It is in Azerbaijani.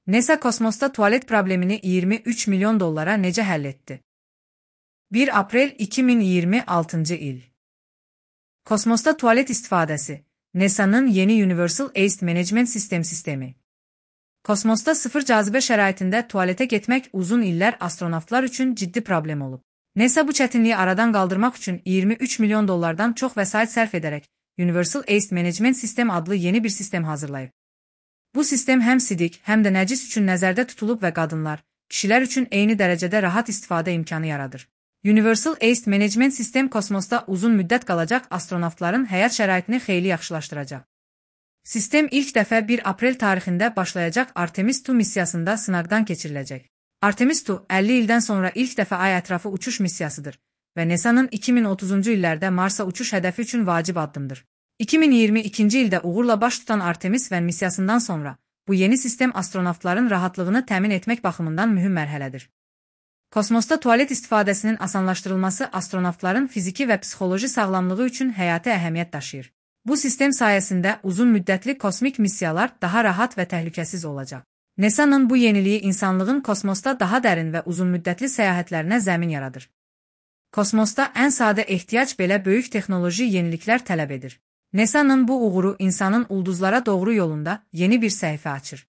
NASA kosmosda tualet problemini 23 milyon dollara necə həll etdi? 1 aprel 2026 il. Kosmosda tualet istifadəsi. NASA'nın yeni Universal Waste Management sistemi. Kosmosda sıfır cazibə şəraitində tualetə getmək uzun illər astronavtlar üçün ciddi problem olub. NASA bu çətinliyi aradan qaldırmaq üçün 23 milyon dollardan çox vəsait sərf edərək Universal Waste Management System adlı yeni bir sistem hazırlayıb. Bu sistem həm sidik, həm də nəcis üçün nəzərdə tutulub və qadınlar, kişilər üçün eyni dərəcədə rahat istifadə imkanı yaradır. Universal Waste Management System kosmosda uzun müddət qalacaq astronavtların həyat şəraitini xeyli yaxşılaşdıracaq. Sistem ilk dəfə 1 aprel tarixində başlayacaq Artemis II missiyasında sınaqdan keçiriləcək. Artemis II 50 ildən sonra ilk dəfə ay ətrafı uçuş missiyasıdır və NASA'nın 2030-cu illərdə Marsa uçuş hədəfi üçün vacib addımdır. 2022-ci ildə uğurla baş tutan Artemis V missiyasından sonra bu yeni sistem astronavtların rahatlığını təmin etmək baxımından mühüm mərhələdir. Kosmosda tualet istifadəsinin asanlaşdırılması astronavtların fiziki və psixoloji sağlamlığı üçün həyati əhəmiyyət daşıyır. Bu sistem sayəsində uzun müddətli kosmik missiyalar daha rahat və təhlükəsiz olacaq. NASA'nın bu yeniliyi insanlığın kosmosda daha dərin və uzun müddətli səyahətlərinə zəmin yaradır. Kosmosda ən sadə ehtiyac belə böyük texnoloji yeniliklər tələb edir. NASA'nın bu uğuru insanın ulduzlara doğru yolunda yeni bir səhifə açır.